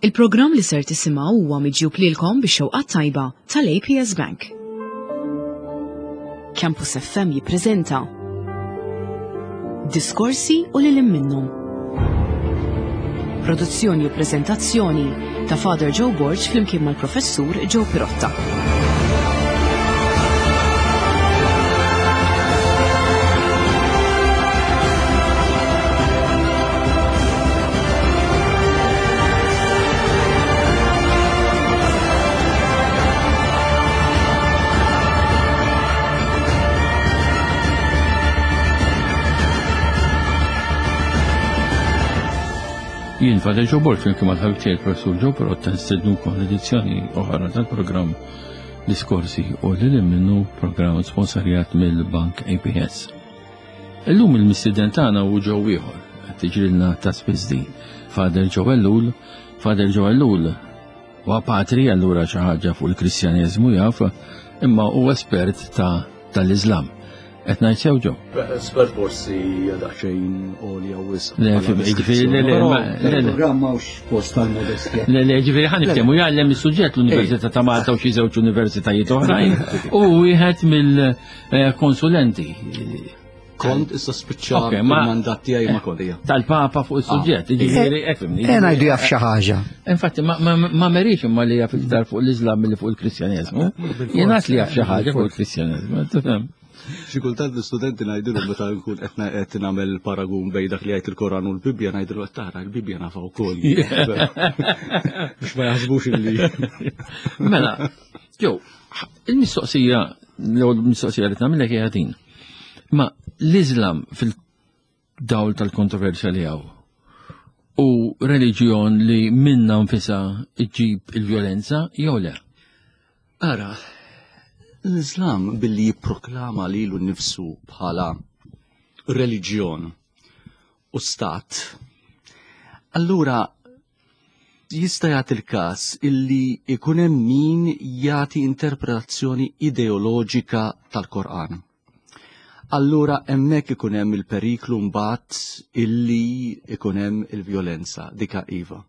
Il-programm li ser tisimgħu huwa miġjub lilkom bix-xewqa tajba tal-APS Bank. Campus FM jippreżenta Diskorsi u lil minnhom. Produzzjoni u preżentazzjoni ta' Father Joe Borg flimkien mal-Professur Joe Pirotta. Jien Father Joe Borg flimkien mal-ħabib tiegħi Professur Joe Pirotta nistednukom l-edizzjoni oħra tal-programm Diskorsi u lil minnu programm sponsorjat mill-Bank APS. Illum il-mistieden tagħna hu Joe ieħor, qed tiġrilna ta' spiss din. Father Joe Ellul, Father Joe Ellul huwa patri allura xi ħaġa fuq il-Kristjaneżmu jaf, imma hu espert ta' tal-Iżlam. Qed ngħid sew Joe? Espert forsi daqsxejn għolja wisq. Le, ġifieri le, le, le, le. Programm hawnx post tal-modestja. Le, le, ġifieri ħa niftehmu jgħallem is-suġġett l-Università ta' Malta u xi żewġ universitajiet oħrajn u wieħed mill-konsulenti. Kont issa spiċċa il-mandat tiegħi ma kodija. Tal-Papa fuq is-suġġett, ah. ġifieri efimni. Eh, ngħidu jaf xi ħaġa. Infatti ma merix imma li jaf iktar fuq l-Iżlam milli fuq il-Kristjaneżmu. Jien li jaf xi ħaġa fuq il-Kristjaneżmu, tifhem. Xi kultant l-istudenti ngħidilhom meta nkun qed nagħmel paragun bejn dak li jgħid il-Koran u l-Bibbja ngħidilhom qed tara l-Bibbja nafa wkoll. Biex ma jaħsbux illi. Mela, jew il-mistoqsija l-ewwel mistoqsija li tagħmilek hija din. Ma l-Iżlam fil-dawl tal-kontroversja li hawn u reliġjon li minna nfisha ġġib il-vjolenza jew le? Ara, l-Iżlam billi jipproklama lilu nnifsu bħala reliġjon u stat, allura jista' jagħti l-każ illi jkun hemm min jagħti interpretazzjoni ideoloġika tal-Korqan. Allura hemmhekk ikun hemm il-periklu mbagħad illi ikun hemm il-vjolenza dika iva.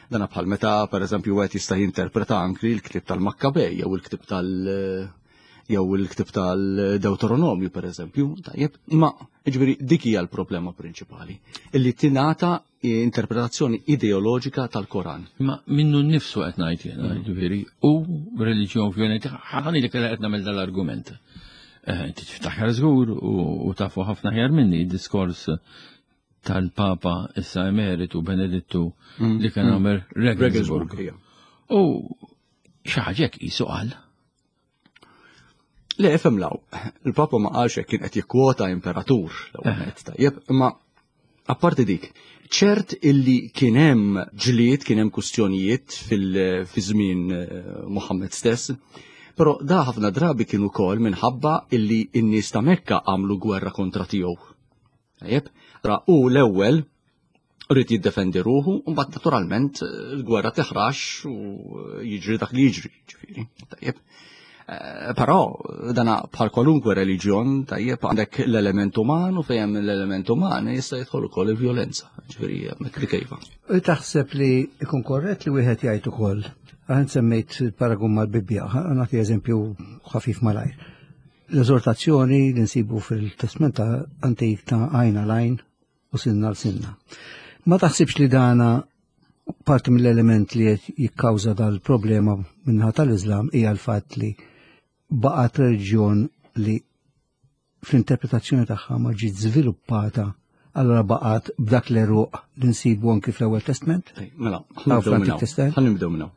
Dana bħal meta pereżempju wieħed jista' jinterpreta anki l-ktieb tal-Makkabej jew il-ktieb tal- jew il-ktieb tal-Deuteronomju pereżempju, tajjeb, imma jiġifieri dik hija l-problema prinċipali, illi tingħata interpretazzjoni ideoloġika tal-Koran. Ma minnu nnifsu qed ngħid jiena, mm. ġifieri, u reliġjon vjolenti, ħani li kellha qed nagħmel dal-argument. Eh, inti tiftakar żgur u tafu ħafna ħjar minni diskors tal-Papa issa emeritu Benedittu mm. li kien mm. għamel Regensburg. U xi ħaġa hekk qisu qal. Le, ifhem law, il-Papa ma qalx hekk kien qed jikkwota imperatur l-ewwel eh. tajjeb, imma apparti dik, ċert illi kien hemm ġlied, kien hemm kustjonijiet fil-żmien eh, Muhammad stess, però da ħafna drabi kien ukoll minħabba illi n-nies ta' Mekka għamlu gwerra kontra tiegħu. Tajjeb, ra u l-ewwel rrid jiddefendi ruħu, u mbagħad naturalment il-gwerra tiħrax u jiġri dak li jiġri, ġifieri. Tajjeb. Eh, però dana bħal kwalunkwe reliġjon, tajjeb għandek l-element uman u fejn l-element uman jista' jidħol ukoll il-vjolenza, ġifieri hemmhekk li kejfa. Taħseb li ikun korrett li wieħed jgħid ukoll, għan semmejt paragun mal-Bibbja, nagħti eżempju ħafif malajr. L-eżortazzjoni li nsibu fil-Testment Antik ta' għajna l-għajn u sinna l-sinna. Ma taħsibx li dana parti mill-element li qed jikkawża dal-problema minnaħa tal-Iżlam hija l-fatt li baqgħet reliġjon li fl-interpretazzjoni tagħha ma ġiet żviluppata allora baqgħet b'dak l-eruq li nsibu anki fl-Ewwel Testment? Mela, ħa nibdew minna.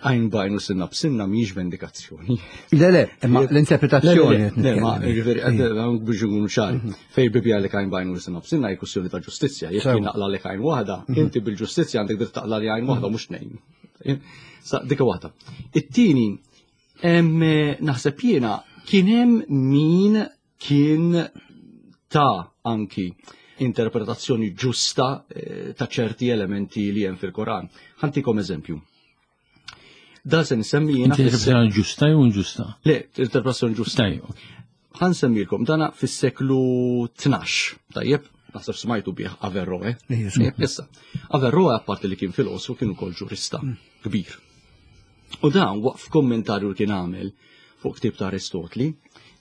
Għajn bajn u sinna b'sinna mhijiex vendikazzjoni. Le, le, imma l-interpretazzjoni. Le, ma, ġifieri, biex nkunu ċari. Mhm. Fej bibja li għajn bajn u sinna b'sinna hija kwestjoni ta' ġustizzja. Jekk jien naqla li għajn waħda, mhm. inti bil-ġustizzja għandek dritt taqla li għajn waħda mhux tnejn. Sa dik waħda. It-tieni, naħseb jiena kien hemm min kien ta' anki interpretazzjoni ġusta eh, ta' ċerti elementi li hemm fil-Koran. Ħantikom eżempju. Da se nsemmi jiena. Interpretazzjoni ġusta jew inġusta? Le, interpretazzjoni ġusta. Ħan semmilkom dana fis-seklu 12, tajjeb. Naħseb smajtu bih Averroe. Issa, Averroe apparti li kien filosofu kien ukoll ġurista mm. kbir. U dan waqf kommentarju li kien għamel fuq ktib ta' Aristotli,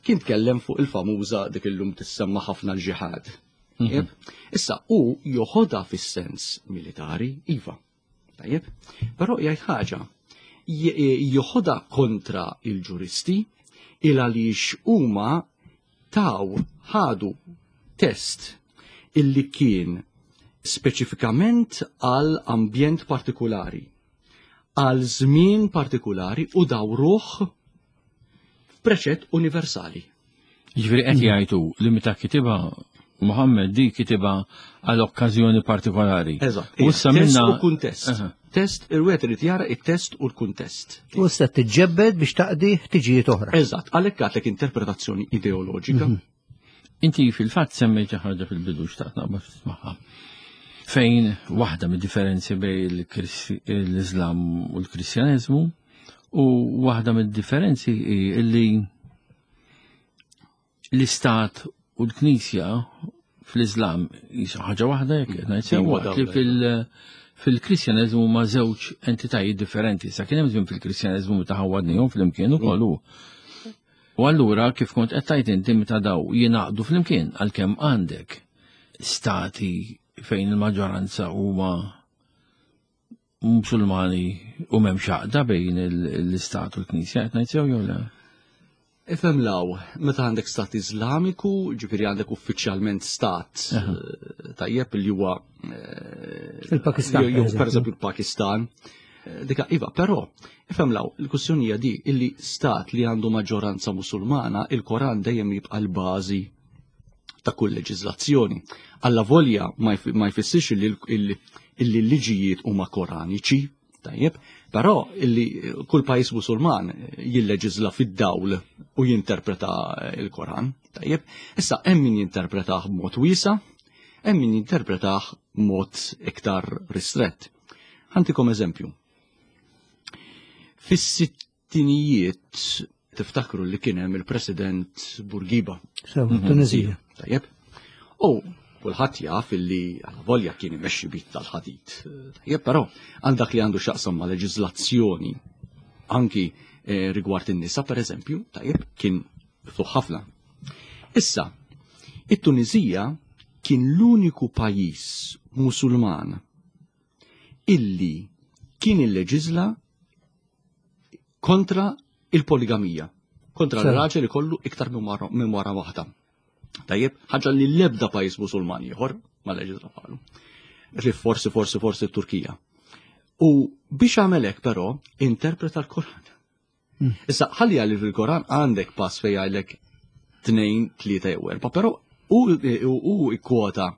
kien tkellem fuq il-famuża dik illum tissemma ħafna l-ġihad. Mhm. Issa, u joħodha fis-sens militari, iva. Tajjeb? Però jgħid ħaġa, joħodha kontra il-ġuristi il għaliex huma taw ħadu test illi kien speċifikament għal ambjent partikolari, għal żmien partikolari u dawruh f'preċett universali. Jiġifieri qed jgħidu li meta kitibha Muhammad di kitibha għal okkażjoni partikolari. Eżatt. U issa minna u kuntest. Test, il-wieħed irid jara it-test u l-kuntest. U issa tiġġebbed biex taqdi ħtiġijiet oħra. Eżatt, għalhekk għatlek interpretazzjoni ideoloġika. Mhm. Inti fil-fatt semmejt xi ħaġa fil-bidu xtaqt naqbad ftit magħha. Fejn waħda mid-differenzi bejn l-Iżlam u l-Kristjaneżmu u waħda mid-differenzi hi illi l-Istat u l-Knisja fl-Iżlam jisa ħaġa waħda jekk qed ngħid sew waqt li fil- fil-Kristjaneżmu huma żewġ entitajiet differenti. Sa kien hemm żmien fil-Kristjaneżmu meta ħawwadnihom flimkien ukoll hu. U allura kif kont qed tgħid inti meta daw jingħaqdu flimkien għalkemm għandek stati fejn il-maġġoranza huma Musulmani u m'hemmx għaqda bejn l-istat u l-Knisja qed ngħid sew jew le? Ifhem law, meta għandek stat Iżlamiku, ġifieri għandek uffiċjalment stat eh, tajjeb li huwa eh, il-Pakistan. Jew pereżempju il-Pakistan. Eh, dika iva, però ifhem law, il-kwistjoni hija di illi stat li għandu maġġoranza Musulmana, il-Koran dejjem jibqa' l-bażi ta' kull leġiżlazzjoni. Alla volja ma jfissirx illi l-liġijiet huma koraniċi, tajjeb, però illi kull pajjiż Musulman jilleġiżla fid-dawl u jinterpreta il-Koran, tajjeb. Issa hemm min jinterpretah b'mod wiesa, hemm min jinterpretah b'mod iktar ristrett. Ħantikom eżempju. Fis-sittinijiet tiftakru li kien hemm il-President Bourguiba. Sew, mhm. Tunizija. Tajjeb. U kulħadd jaf illi għala volja kien imexxi bit tal-ħadid. Tajjeb, però għal dak li għandu x'jaqsam ma' leġiżlazzjoni anki eh, rigward in-nisa pereżempju, tajjeb, kien miftuħ ħafna. Issa, it-Tunizija kien l-uniku pajjiż Musulman illi kien illeġiżla kontra il-poligamija, kontra l-raġel ikollu iktar minn wara waħda. Tajjeb, ħaġa li l-ebda pajjiż Musulman ieħor ma leġisla bħalu. Li forsi, forsi, forsi t-Turkija. U biex għamel hekk però interpreta l-Koran. Hmm. Issa ħalli għalli fil-Koran għandek pass fejn jgħidlek tnejn, tlieta jew erba', però u ikkwota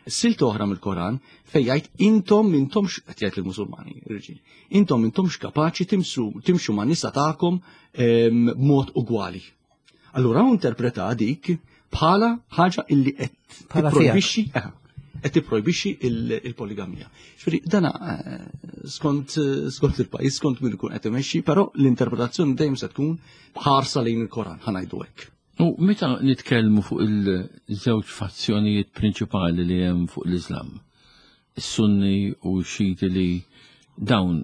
silt oħra mill-Koran fejn jgħid intom intomx qed jgħid lill-Musulmani, irġiel, intom intomx kapaċi timxu ma' nisa tagħkom ehm, b'mod ugwali. Allura hu interpreta dik bħala ħaġa illi qed tipprojbixxi eh, qed tipprojbixxi il-poligamija. Ġifieri dana eh, skont skont il-pajjiż, skont min ikun qed imexxi, però l-interpretazzjoni dejjem se tkun ħarsa lejn il-Koran, ħanajdu hekk. U meta nitkellmu fuq il-żewġ fazzjonijiet prinċipali li hemm fuq l-Islam, is-Sunni u x-Xiti li dawn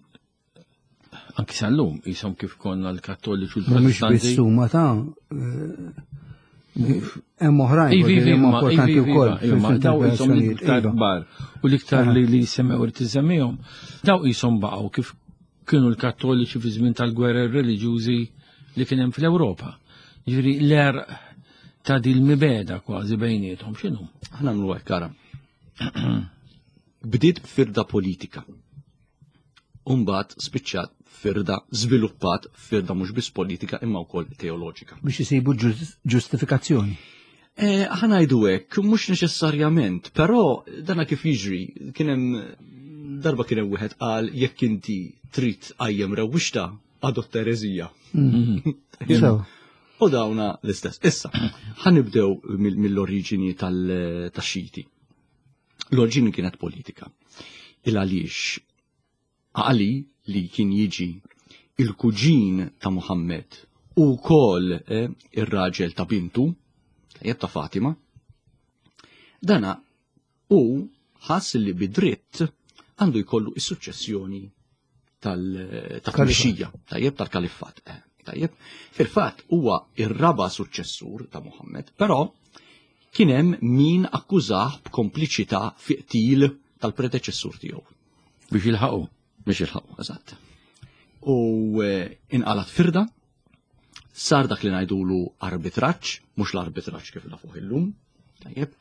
anki sal-lum jisom kif konna l-Kattoliċi u l-Protestanti. Mhux biss huma ta' eh, hemm oħrajn ivi, ivi, huma importanti wkoll. Daw jisom l-iktar iva. kbar u l-iktar li li semmew irid isemmihom, daw jisom baqgħu kif kienu l-Kattoliċi fi żmien tal-gwerer reliġjużi li kien hemm fl-Ewropa. Jiġifieri l-erq ta' dil mibeda kważi bejniethom x'inhu? Aħna nagħmlu hekk ara. Bdiet b'firda politika. Umbagħad spiċċat firda żviluppat firda mhux biss politika imma wkoll teoloġika. Biex isibu ġustifikazzjoni. Eh, ħanajdu hekk, mhux neċessarjament, però dana kif jiġri, kien hemm darba kien hemm wieħed qal jekk inti trid qajjem rewwixta adotta ereżija. Mhm. U dawna l-istess. Issa, ħanibdew mill-oriġini tal-xiti. L-oriġini kienet politika. Il għaliex Ali li kien jiġi il-kuġin ta' Muhammad u wkoll eh, ir-raġel ta' bintu, tajjeb ta' Fatima, dana U ħass li bidritt għandu jkollu is-suċċessjoni tal-tmexxija, tajjeb tal-kaliffat. Eh, tajjeb, fil-fatt huwa ir-raba' suċċessur ta' Muhammad, però kien hemm min akkużah b'kompliċità fi qtil tal-predeċessur tiegħu. Biex jilħaqu. Biex jilħaqu, eżatt. U eh, inqalat firda, sar dak li ngħidulu arbitraġġ, mhux l-arbitraġġ kif nafuh illum, tajjeb,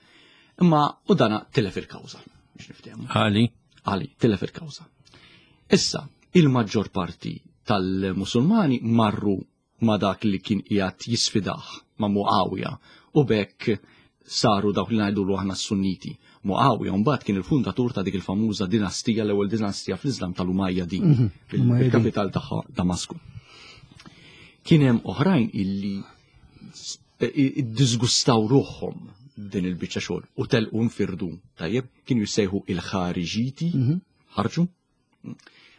imma u dana tilef il-kawża biex niftehmu. Għali. Għali, tilef il-kawża. Issa, il-maġġor parti tal-Musulmani marru ma dak li kien qiegħed jisfidah ma' Muawija u bekk saru dawk li ngħidulu aħna s-Sunniti. Muawija mbagħad kien il-fundatur ta' dik il-famuża dinastija l-ewwel dinastija fl-Iżlam tal-Umayyadin, mhm, il-kapital tagħha Damasku. Kien hemm oħrajn illi iddisgustaw ruħhom din il-biċċa xogħol u telqu nfirdu, tajjeb, kienu jissejħu il-ħariġiti, mhm. ħarġu,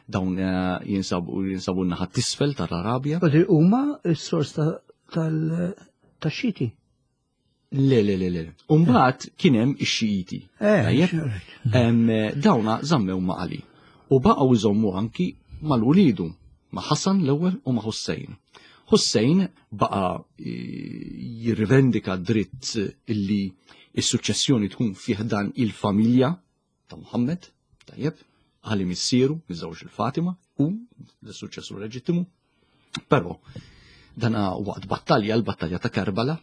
dawn eh, jinsabu jinsabu naħa tisfel tal-Arabja. Huma s-sors tal-xiti. Le, le, le, le. Umbat kien hemm ix-Xijiti. Eh, dawna żammew ma' Ali. U baqgħu jżommu anki mal-ulidu, ma' Hassan l-ewwel u ma' Hussein. Hussein baqa eh, jirrivendika dritt illi is-suċċessjoni tkun fih dan il-familja ta' Muhammad, tajjeb, għali missieru, miżewġ il-Fatima, u l-suċċessur leġittimu. Però, dana waqt battalja, l-battalja ta' Karbala,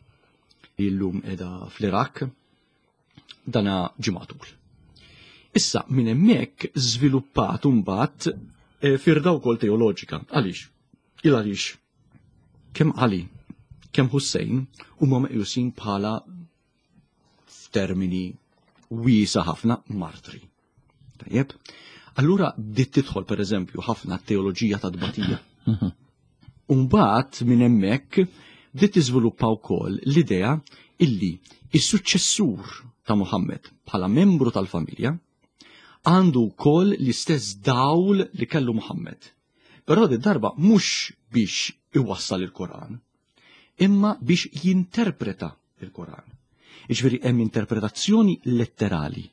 li llum edha fl-Irak, dana ġimatul. Issa, minn hemmhekk żviluppat mbagħad eh, firda wkoll teoloġika. Għaliex? Il għaliex kemm Ali, kemm Hussein huma meqjusin bħala f'termini wiesa ħafna martri. Tajjeb? Allura bdiet tidħol pereżempju ħafna teoloġija ta' tbatija. Mhm. Umbagħad minn hemmhekk bdiet tiżviluppa wkoll l-idea illi is-suċċessur ta' Muhammad bħala membru tal-familja għandu wkoll l-istess dawl li kellu Muhammad. Però di darba mhux biex iwassal il-Koran, imma biex jinterpreta il-Koran. Jiġifieri hemm interpretazzjoni letterali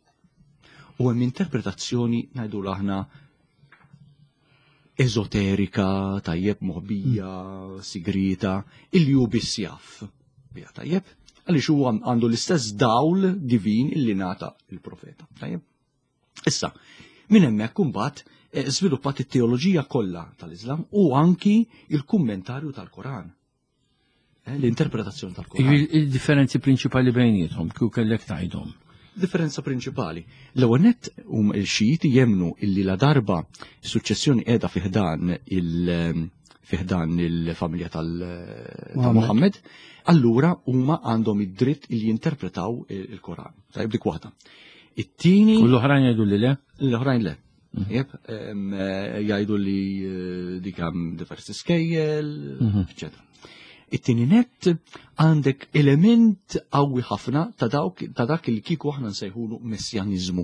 u hemm interpretazzjoni ngħidu aħna eżoterika, tajjeb moħbija, sigrita, illi hu biss jaf. Bija tajjeb, għaliex huwa għandu l-istess dawl divin illi nata il-profeta. Tajjeb. Issa, minn hemmhekk imbagħad eh, żviluppat it-teoloġija kollha tal-Iżlam u anki il-kummentarju tal-Koran. Eh, l-interpretazzjoni tal-Koran. Il-differenzi prinċipali bejniethom, kieku kellek tgħidhom. Differenza prinċipali. L-ewwel nett hum il-Xijiti jemnu illi la darba suċċessjoni qiegħda fiħdan il- fiħdan il-familja tal-Muhammad, allura huma għandhom id-dritt li jinterpretaw il-Koran. Tajb dik waħda. It-tieni. U l-oħrajn jgħidu li le? L-oħrajn le. Mhm. Jeb, eh, jgħidu li eh, dik hemm diversi skejjel, mhm. eccetera. It-tieni net għandek element qawwi ħafna ta' dawk ta' dak li kieku aħna nsejħulu messjaniżmu.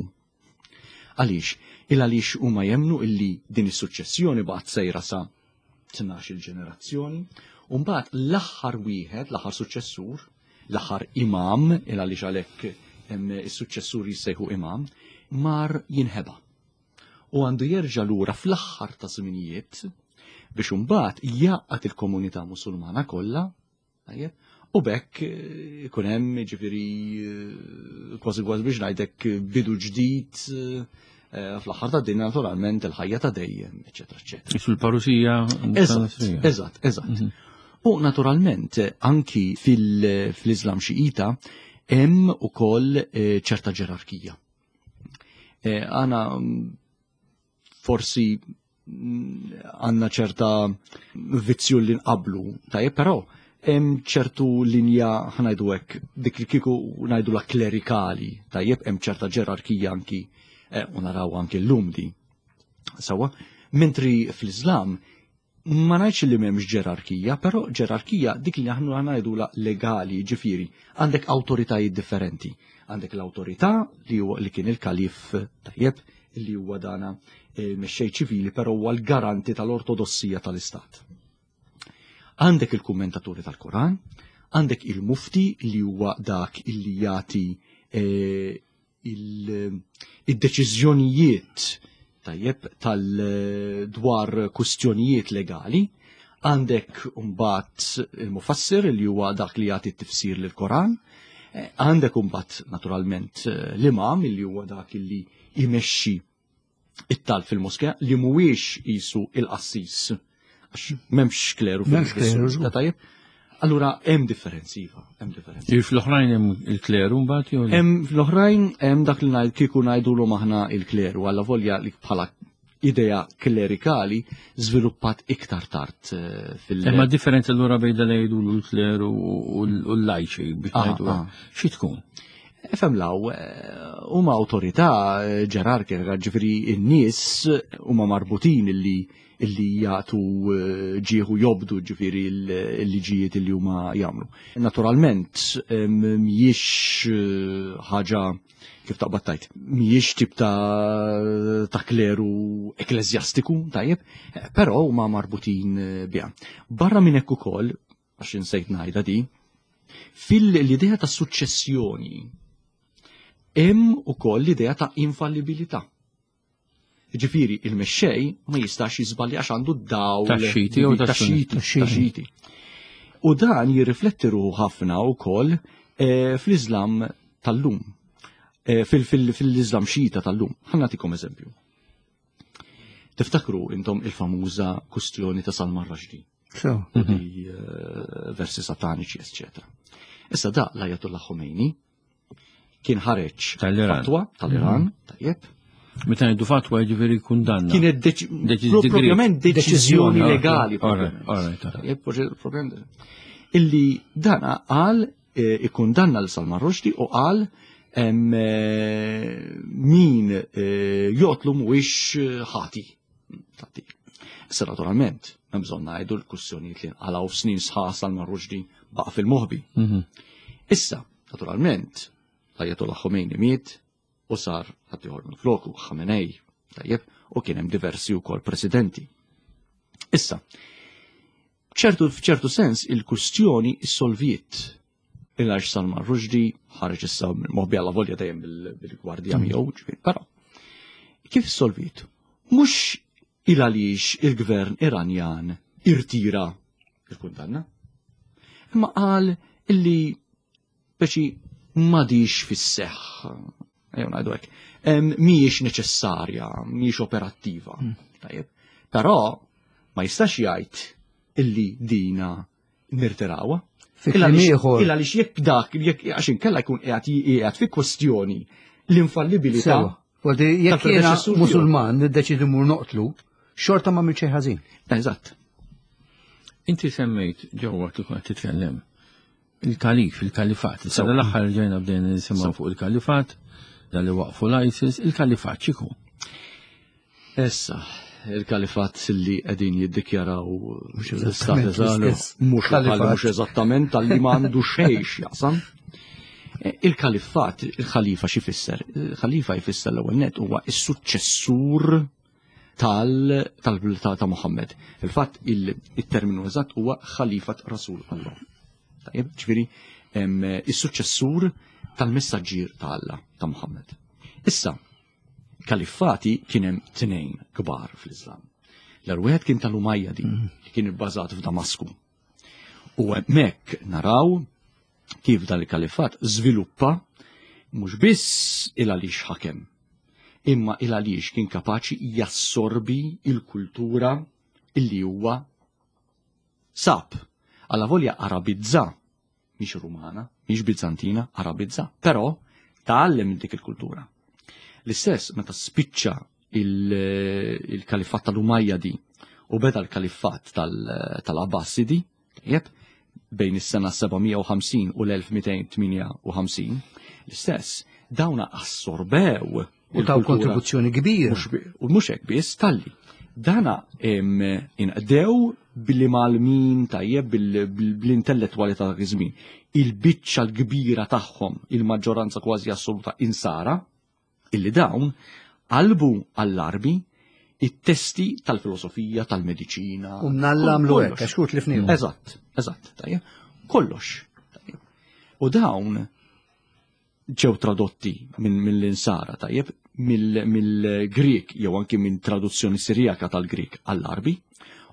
Għaliex? Il għaliex huma jemnu illi din is-suċċessjoni baqgħet sejra sa 12 il-ġenerazzjoni, u mbagħad l-aħħar wieħed, l-aħħar suċċessur, l-aħħar imam, il għaliex għalhekk is-suċċessur jissejħu imam, mar jinħeba. U għandu jerġa' lura fl-aħħar ta' żminijiet biex imbagħad jgħaqqad il-komunità Musulmana kollha Tajjeb? U bekk eh, ikun hemm ġifieri eh, kważi kważi biex ngħidlek eh, bidu ġdid fl-aħħar ta' din naturalment il-ħajja ta' dejjem, eċetera, eċetera. Isu l-parusija. Eżatt, eżatt, eżatt. Mhm. U naturalment anki fil-Islam xiita hemm ukoll ċerta ġerarkija. Għana forsi għandna ċerta vizzju li nqablu, tajjeb, però hemm ċertu linja ħanajdu hekk dik li kieku ngħidu la klerikali, tajjeb hemm ċerta ġerarkija anki eh, u naraw anki llum di. Sawa, mentri fl-Iżlam Ma ngħidx li m'hemmx ġerarkija, però ġerarkija dik li aħna ngħidula legali, ġifieri, għandek awtoritajiet differenti. Għandek l-awtorità li huwa li kien il-kalif tajjeb, li huwa dana eh, mexxej ċivili, però huwa l-garanti tal-ortodossija tal-istat. Għandek il-kummentaturi tal-Koran, għandek il-mufti li huwa dak illi jagħti eh, id-deċiżjonijiet tajjeb tal dwar kustjonijiet legali, għandek mbagħad il-mufassir li huwa dak li jagħti t-tifsir lill-Koran, eh, għandek mbagħad naturalment eh, l-imam li huwa dak li jmexxi it-talb fil-moskea li mhuwiex qisu il-qassis għax m'hemmx kleru fil tajjeb. Allura hemm differenzi iva, hemm differenzi. Fl-oħrajn hemm il-kleru mbagħad jew Hemm fl-oħrajn hemm dak li ngħid kieku ngħidulhom aħna il-kleru alla volja li bħala idea klerikali żviluppat iktar tard eh, fil- Imma differenza allura bejn li jgħidulu l-kleru u l-lajċi biex ah, ngħidu ah. xi tkun? Efem law, eh, huma awtorità eh, ġerarkika, ġifieri n-nies huma marbutin illi illi jagħtu eh, ġieħu jobdu ġifieri l-liġijiet illi huma jagħmlu. Naturalment mhijiex ħaġa kif taqbad tajt, mhijiex tip ta' ta' kleru ekklesjastiku, tajjeb, però huma marbutin biha. Barra minn hekk ukoll, għax insejt ngħidha di, fil-idea ta' suċċessjoni hemm ukoll l-idea ta' infallibilità. Ġifieri il-mexxej ma jistax jiżbalja għax għandu d-dawl tax-xiti jew tax-xiti. U dan jirrifletti ruħu ħafna wkoll eh, fl-Iżlam tal-lum. Eh, fil-Iżlam xita tal-lum. Ħa nagħtikom eżempju. Tiftakru intom il-famuża kustjoni ta' Salman Rushdie. Mhm. Eh, versi sataniċi, eccetera. Issa da l-Ayatollah Khomeini kien ħareġ fatwa tal-Iran, mhm. tajjeb. Meta ngħidu fatwa jiġifieri kundanna. Kienet propjament deċiżjoni legali. Illi dana qal eh, ikkundanna l Salman Rushdie u qal eh, min jotlu mhuwiex ħati. Issa naturalment, hemm bżonn ngħidu l-kwistjonijiet li nqalgħu snin sħaħ Salman Rushdie baqa' fil-moħbi. Mhm. Issa, naturalment, l-Ayatollah Khomeini miet u sar ħaddieħor minn floku, Khamenei, tajjeb, u kien hemm diversi wkoll presidenti. Issa, ċertu f'ċertu sens il-kustjoni issolviet il-għax Salman Rushdie ħareġ issa moħbi għalla volja dejjem bil-gwardja mm. miegħu, ġifieri, però kif solvit? Mhux il għaliex il-gvern Iranjan irtira il-kundanna, imma qal illi speċi m'għadix fis-seħħ, ejjew ngħidu hekk, mhijiex neċessarja, mhijiex operattiva. Mm. Tajjeb. Però ma jistax jgħid illi dina nirtirawha. Il għaliex jekk dak, jekk għax inkella jkun qiegħed qiegħed fi kwestjoni l-infallibilità. Għaldi, jekk jiena Musulman niddeċidi mur noqtlu, xorta ma xejn ħażin. Eżatt. Inti semmejt ġewwa kif qed titkellem il-kalif, il-kalifat. Issa l-aħħar ġejna bdejna nisimgħu fuq il-kalifat, dan li waqfu l-ISIS, il-kalifat x'iku? Issa, il-kalifat li qegħdin jiddikjaraw l-istat mhux mhux eżattament tal-li m'għandu xejn x'jaqsam. E, il-kalifat, il-ħalifa xi fisser? Il-ħalifa jfisser l-ewwel net huwa s-suċċessur tal ta' Muhammad. Fil-fatt il-terminu eżatt huwa ħalifat Rasul Allah. Tajjeb, ġifieri is-suċċessur tal-messaġġier ta' Alla ta' Muhammad. Issa, Kaliffati kien hemm tnejn kbar fl-Islam. L-ewwel wieħed kien tal-Umayyadi mm. li kien ibbażat f'Damasku. U hemmhekk naraw kif dan il-kalifat żviluppa mhux biss il għaliex ħakem, imma il għaliex kien kapaċi jassorbi il-kultura illi huwa sab. Alla volja arabizza mhix Rumana, mhix Bizantina, Arabizza, però tgħallem minn dik il-kultura. L-istess meta spiċċa il-kalifat tal-Umayyadi u beda l-kalifat tal-Abbasidi, tajjeb, bejn is-sena 750 u l-1258, l-istess dawna assorbew U taw kontribuzzjoni kbira. U mhux hekk biss talli. Dana inqdew billi malmin tajjeb bl-intellettwali ta' dak iż-żmien. Il-biċċa l-kbira tagħhom, il-maġġoranza kważi assoluta insara, illi dawn qalbu għall-Arbi it-testi tal-filosofija, tal-mediċina. U mnalla għamlu hekk, għax kut li fnihom. Eżatt, eżatt, tajjeb. Kollox. U dawn. ġew tradotti minn mill-insara tajjeb mill-Grieg jew anki minn traduzzjoni Sirijaka tal-Grieg għall-Arbi.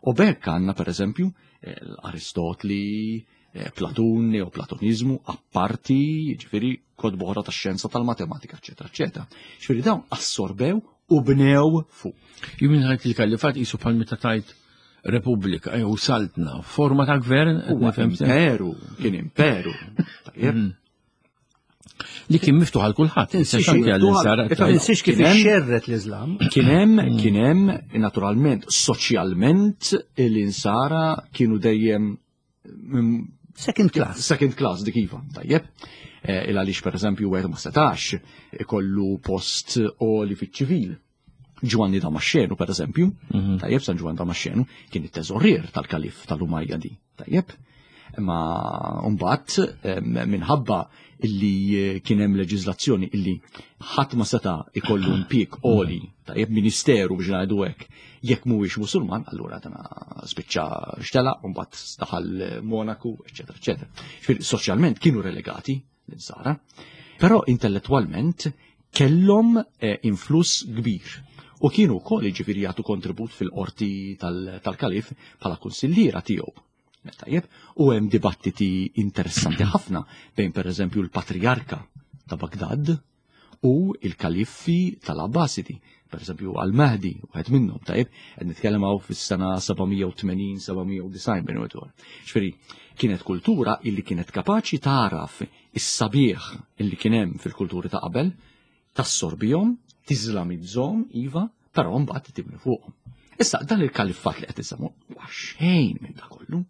U bekk għandna pereżempju eh, l-Aristotli, eh, Platun, Neoplatonizmu, apparti, ġifieri kotba oħra tax-xjenza tal-matematika, eċetera, eċetera. Ġifieri dawn assorbew u bnew fuq. Jien ħajt il-kalifat qisu bħal meta tajt repubblika jew saltna, forma ta' gvern, Huwa imperu, kien imperu. Tajjeb. Li kien miftuħ għal kulħadd. Tinsiex kif ixxerret l-Iżlam. Kien hemm, mm. kien hemm, naturalment, soċjalment l-insara kienu dejjem mm, Second class. Second class dik iva, tajjeb. Eh, il għaliex pereżempju wieħed ma setax ikollu post oli fiċ-ċivil. Ġwanni Damaxxenu, per eżempju, mhm. tajjeb San Ġwanni Damaxxenu kien it-teżorier tal-kalif tal-Umayyadi, tajjeb. Imma mbagħad minħabba illi eh, kien hemm leġiżlazzjoni illi ħadd ma seta' ikollu impjieg għoli, tajjeb ministeru biex ngħidu hekk, jekk mhuwiex Musulman, allura tana spiċċa xtela, u mbagħad daħal Monaku, eċetera, eċetera. Soċjalment kienu relegati l-insara, però intellettwalment kellhom eh, influss kbir u kienu wkoll jiġifieri jagħtu kontribut fil-qorti tal-kalif bħala kunsilliera tiegħu. Tajjeb, u hemm dibattiti interessanti ħafna bejn pereżempju l-Patrijarka ta' Bagdad u il-kaliffi tal-Abbasidi, per eżempju al-Mahdi, wieħed minnhom, tajjeb, qed nitkellem hawn fis-sena 780-790 bejn wieħed Ġifieri, kienet kultura illi kienet kapaċi tagħraf is-sabiħ illi kien hemm fil-kulturi ta' qabel, tassorbihom, tiżlamizzhom, iva, però mbagħad tibni fuqhom. Issa dan il-kaliffat li qed isemmu huwa xejn minn da kollu.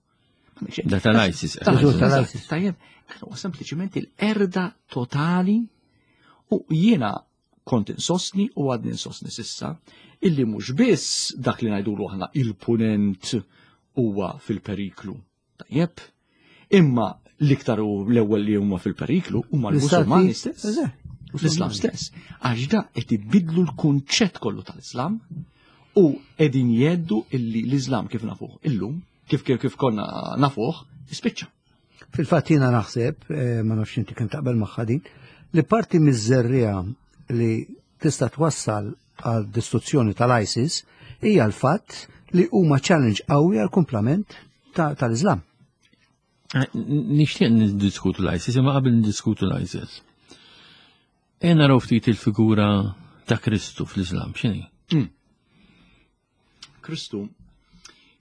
Da tal-ISIS. Tal-ISIS. Tajjeb, huwa sempliċiment il-erda totali u jiena kont insostni u għadni insostni sissa illi mhux biss dak li ngħidulu aħna il-punent huwa fil-periklu. Tajjeb, imma l-iktar u l-ewwel li huma fil-periklu huma l-Musulmani stess. L-Islam stess. Għax da qed ibidlu l-kunċett kollu tal-Islam u qegħdin jeddu illi l-Islam kif nafuh illum, kif kif kif konna nafuh, ispiċċa. Fil-fatt jiena naħseb, eh, ma nafx inti kemm taqbel magħha din, li parti miż-żerriegħa li tista' twassal għal distruzzjoni tal-ISIS hija l-fatt li huma challenge qawwi għal kumplament tal-Islam. Eh, nixtieq niddiskutu l-ISIS, imma qabel niddiskutu l-ISIS. E naraw ftit il-figura ta' Kristu fl-Islam, x'inhi? Hmm. Kristu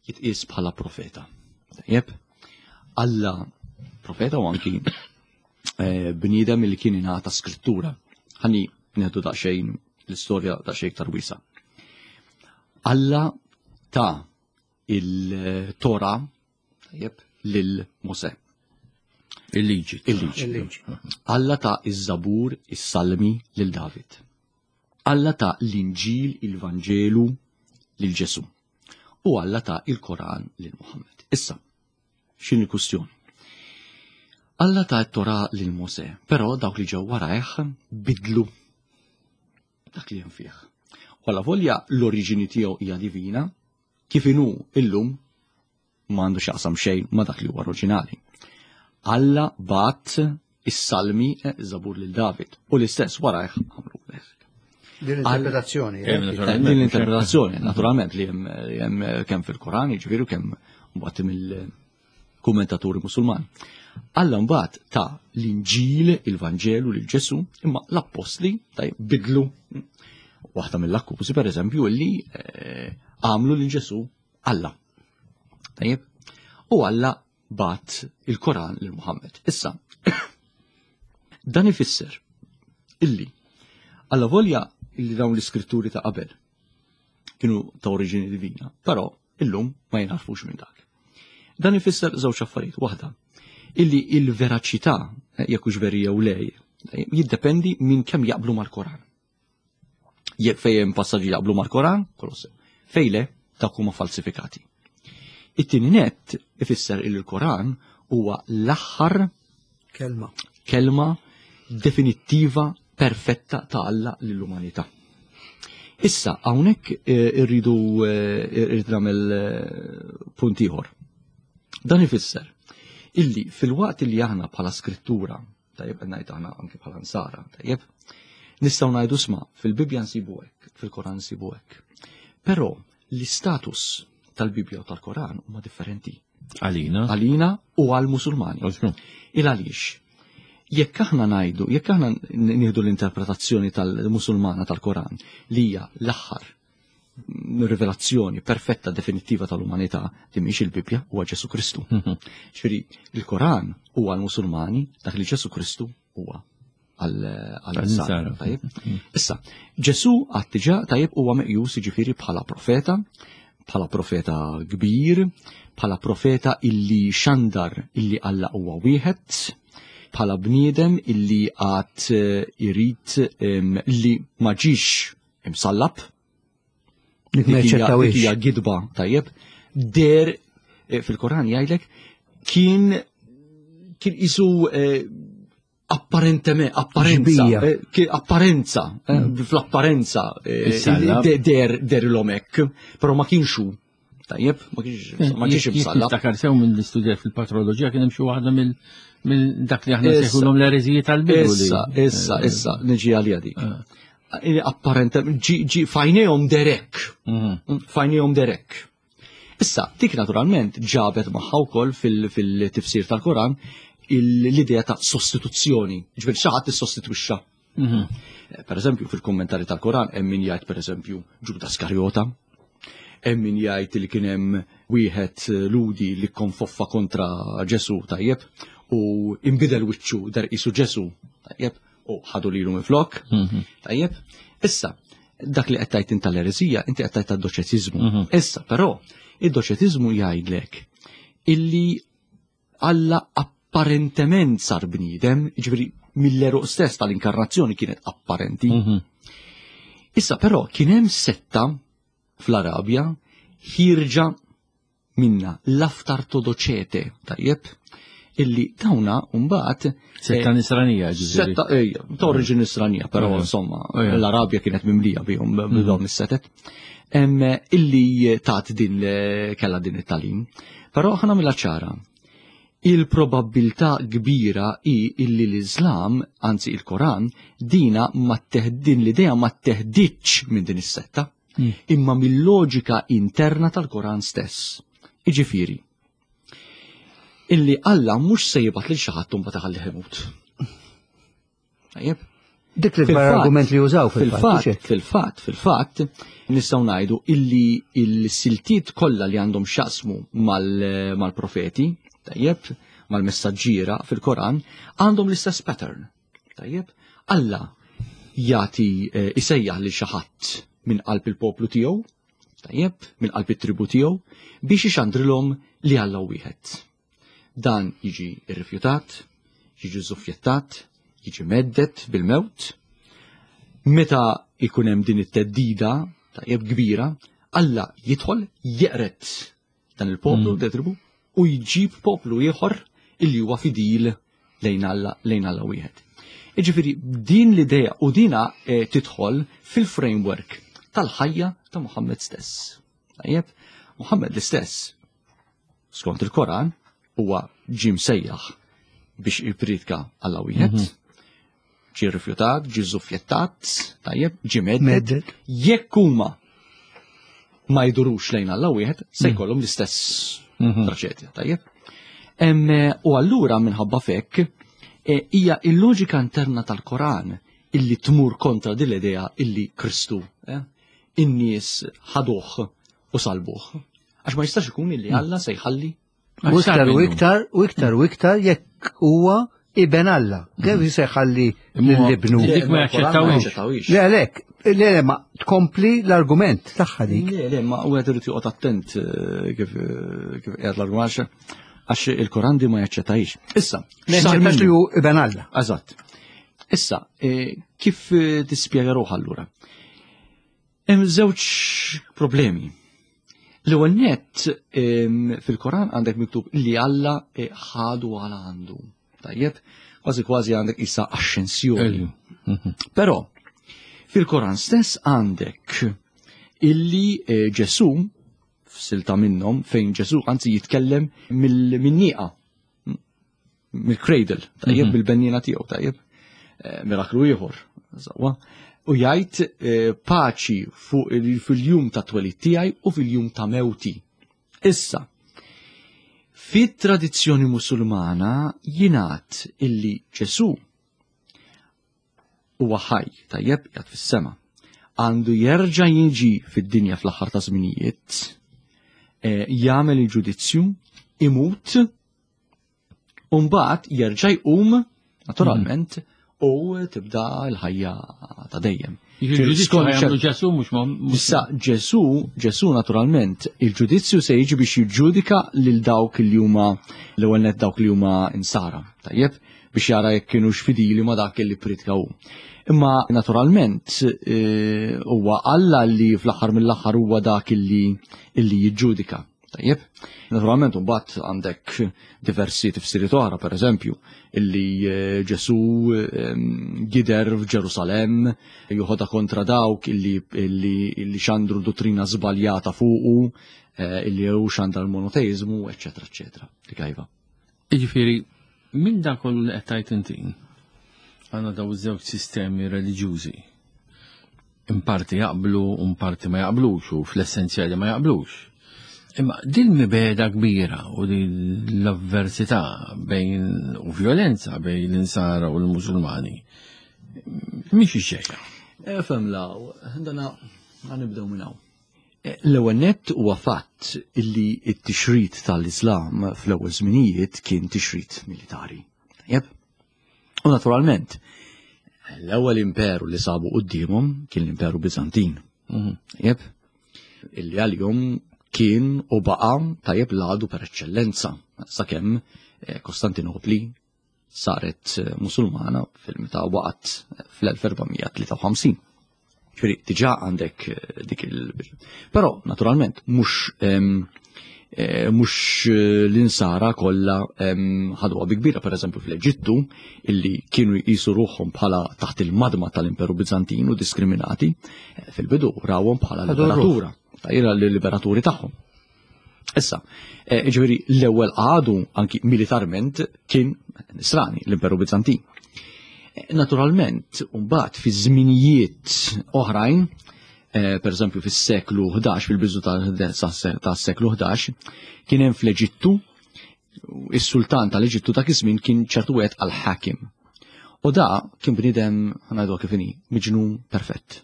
jitqies bħala profeta. Tajjeb, Alla profeta u anki eh, bniedem li kien ingħata skrittura. Ħanni nieħdu daqsxejn l-istorja daqsxejn iktar wiesa. Alla ta' il-Tora tajjeb lil Mosè. Il-liġi. Il-liġi. Alla ta' iż-Zabur, is-Salmi lil David. Alla ta l-Inġil, il-Vanġelu lil Ġesù. U Alla ta il-Koran lil Muhammad. Issa, x'inhi l-kwistjoni? Alla ta t-Torah lil Mosè, però dawk li ġew warajh bidlu dak li hemm fih. U alla volja l-oriġini tiegħu hija divina, kif inhu illum ma għandu x'jaqsam xejn ma' dak li huwa oriġinali. Alla bat is-salmi eh, Zabur lil David u l-istess warajh għamlu hekk. Din l-interpretazzjoni. Eh, eh, din l-interpretazzjoni, naturalment li hemm kemm fil-Koran, jiġifieri kemm mbagħad mill-kummentaturi Musulman. Alla mbagħad ta' l-Inġil, il-Vanġelu lil Ġesu, imma l-appostli taj bidlu waħda mill-akkużi pereżempju illi għamlu lil Ġesu Alla. Tajjeb? U Alla bat il-Koran lil Muhammad. Issa, dan ifisser illi alla volja illi dawn l-iskritturi ta' qabel kienu ta' oriġini divina, però illum ma jinarfux minn dak. Dan ifisser żewġ affarijiet. Waħda, illi il-veraċità, eh, jekk hux veri jew le, jiddependi minn kemm jaqblu mal-Koran. Jekk fejn hemm passaġġi jaqblu mal-Koran, kollox sew. Fejn le, dawk huma falsifikati. It-tieni nett ifisser il l-Koran huwa l-aħħar kelma kelma definittiva perfetta ta' Alla lill-umanità. Issa hawnhekk eh, irridu eh, irrid nagħmel eh, punt ieħor. Dan ifisser illi fil-waqt li aħna bħala skrittura. Tajjeb qed ngħid aħna anke bħala nsara, tajjeb. Nistgħu ngħidu sma' fil-Bibbja nsibu hekk, fil-Koran nsibu hekk. Però l-istatus tal-Bibbja u tal-Koran huma differenti. Għalina. Għalina u għal-Musulmani. Il għaliex? Jekk aħna ngħidu, jekk aħna nieħdu l-interpretazzjoni tal-Musulmana tal-Koran li hija l-aħħar rivelazzjoni perfetta definittiva tal-umanità li mhix il-Bibbja huwa Ġesu Kristu. Ġifieri il-Koran huwa l-Musulmani dak li Ġesu Kristu huwa għal-Insara. Tajjeb. Issa, Ġesu għad diġà tajjeb huwa meqjus jiġifieri bħala profeta, bħala profeta kbir, bħala profeta illi xandar illi Alla huwa wieħed, bħala bniedem illi għad eh, irid li ma ġiex imsallab. Dik ma jaċċettawhiex. Hija gidba tajjeb. Der eh, fil-Koran jgħidlek kien kien isu eh, apparentement, apparenza, eh, apparenza, fl-apparenza, der, der l-omek, pero ma kienx hu. Tajjeb, ma kienx ma kienx imsallab. Niftakar sew minn l-istudja fil-patroloġija kien hemm xi waħda mill dak li aħna sejħulhom l-ereżiji tal-bidu. Issa, issa, eh, issa, niġi għalija dik. Eh. Apparentement, ġi fajnejhom derek. Mhm. Fajnejhom derek. Issa, dik naturalment ġabet magħha wkoll fil-tifsir tal-Koran l-idea ta' sostituzzjoni. Ġifieri xi ħadd issostitwixxa. Mhm. Eh, per eżempju, fil-kommentari tal-Koran hemm min jgħid per eżempju Ġuda Skarjota, hemm min jgħid li kien hemm wieħed eh, ludi li konfoffa kontra Ġesu tajjeb u imbidel wiċċu der isu Ġesu tajjeb u ħadu lilu minflok mhm. tajjeb. Issa, dak li qed tgħid inta l-ereżija, inti qed tgħid tad-doċetiżmu. Mhm. Issa, però, id-doċetiżmu jgħidlek illi Alla apparentement sar bniedem, jiġifieri mill-eruq stess tal-inkarnazzjoni kienet apparenti. Mhm. Issa però kien hemm setta fl-Arabja ħirġa minna l-aftartodoċete, tajjeb, illi dawna mbagħad Setta eh, nisranija, ġifieri. Setta ejja, ta' oriġini nisranija, però insomma, l-Arabja kienet mimlija bihom mhm. b'dawn is-setet. Illi tat din kella din it-talim. Però ħa nagħmilha ċara. Il-probabbiltà kbira hi illi l-Iżlam, anzi il-Koran, dina ma din l-idea ma teħditx minn din is-setta, hmm. imma mill-loġika interna tal-Koran stess. Iġifieri, illi Alla mhux se jibgħat lil xi ħadd imbagħad iħallih imut. Tajjeb? Dik li argument li jużaw fil-fatt. Fil-fatt, fil-fatt, nistgħu ngħidu illi l-siltiet kollha li għandhom x'jaqsmu mal-profeti, tajjeb, mal-messaġġiera fil-Koran, għandhom l-istess pattern. Tajjeb, Alla jagħti eh, isejjaħ lil xi ħadd minn qalb il-poplu tiegħu, tajjeb, minn qalb it-tribu tiegħu, biex ixandrilhom li Alla wieħed. Dan jiġi rrifjutat, jiġi żuffjettat, jiġi meddet bil-mewt. Meta ikun hemm din it-teddida tajjeb kbira, Alla jidħol jeqret dan il-poplu, mm. tribu, u jġib poplu ieħor illi huwa fidil lejn Alla lejn Alla wieħed. Iġifieri din l-idea u dina eh, tidħol fil-framework tal-ħajja ta' Muhammad stess. Tajjeb, Muhammad l-istess skont il-Koran, huwa ġie msejjaħ biex jippriedka Alla wieħed. Mhm. Ġie rifjutat, ġie żuffjettat, tajjeb, ġie medded. Jekk huma ma jdurux lejn Alla wieħed, se mhm. jkollhom l-istess mhm. traċedja, tajjeb. U allura minħabba fekk e, hija il-loġika interna tal-Koran illi tmur kontra din l-idea illi Kristu eh, in-nies ħaduh u salbuh. Għax ma jistax ikun illi Alla se jħalli. U iktar u iktar u iktar u iktar jekk huwa iben Alla. Kif se jħalli lill-ibnu? Dik ma jaċċettawhiex. Le għalhekk, le le ma tkompli l-argument tagħha dik. Le le ma wieħed irid joqgħod attent eh, kif eh, kif qiegħed l-argument għax il-Koran di ma jaċċettajx. Issa, ma jaċċettax li hu iben Alla. Eżatt. Issa, eh, kif tispjega ruħha allura? Hemm żewġ problemi. L-ewwel nett fil-Koran għandek miktub li Alla eh, ħadu għal għandu. Tajjeb, kważi kważi għandek issa axxensjoni. Mhm. Però fil-Koran stess għandek illi eh, Ġesu f'silta minnhom fejn Ġesu anzi jitkellem mill-nieqa. mill-cradle, tajjeb mhm. bil-benjina tiegħu, tajjeb. Eh, miraklu ieħor, sewwa. U jgħid eh, paċi fuq fil-jum ta' twelid tiegħi u fil-jum ta' mewti. Issa, fit-tradizzjoni Musulmana jingħad illi Ġesù huwa ħaj, tajjeb, jgħad fis-sema. Għandu jerġa' jiġi fid-dinja fl-aħħar ta' żminijiet, eh, jagħmel il-ġudizzju, imut, u mbagħad jerġa' jqum, naturalment, u tibda l-ħajja ta' dejjem. Ġesu mhux ma. Issa Ġesu, Ġesu naturalment, il-ġudizzju se jiġi biex jiġġudika lil dawk li huma l-ewwel net dawk li huma insara. Tajjeb, biex jara jekk kienux fidili ma dak li pritka hu. Imma naturalment eh, huwa Alla li fl-aħħar mill-aħħar huwa dak li jiġġudika. Tajjeb, naturalment mbagħad għandek diversi tifsiriet oħra, per eżempju, illi eh, Ġesu ehm, gider f'Ġerusalemm, joħodha kontra dawk illi, illi, illi xandru dottrina żbaljata fuqu, eh, illi hu xandra l-monoteizmu, eċċetera, eċċetera. Dik iva. Jiġifieri, minn dak kollu li qed tgħid inti, għandna daw iż-żewġ sistemi reliġjużi. In parti jaqblu u parti ma jaqblux u fl-essenzjali ma jaqblux. Imma din mibeda kbira u din l-avversità bejn u violenza bejn l-insara u l-Musulmani mhix ġejja. Efhem law, dana nibdew minn hawn. L-ewwel nett huwa fatt illi t-tixrid tal-Iżlam fl-ewwel żminijiet kien tixrid militari. Tajjeb? U naturalment, l-ewwel imperu li sabu quddiemhom kien l-Imperu Biżantin. Mhm. Tajjeb? Illi għalihom kien u baqa' tajjeb l-għadu per eċċellenza sakemm eh, Kostantinopli saret eh, Musulmana fil-meta waqgħet eh, fl-1453. Ġifieri diġà għandek eh, dik il Però naturalment mhux mhux l-insara kollha ħaduha bi kbira, pereżempju fl-Eġittu, illi kienu jqisu ruħhom bħala taħt il-madma tal-Imperu Bizantin u diskriminati, fil-bidu rawhom bħala liberatura, tajra l-liberaturi tagħhom. Issa, eh, ġifieri l-ewwel għadu anki militarment kien Nisrani, l-Imperu Bizantin. Eh, naturalment, mbagħad fi żminijiet oħrajn, eh, per eżempju fis-seklu 11, fil-biżu tas-seklu 11, kien hemm fl-Eġittu is-sultan tal-Eġittu dak iż-żmien kien ċertu wieħed għal-ħakim. U da kien bniedem ħanajdu kif inhi, miġnun perfett.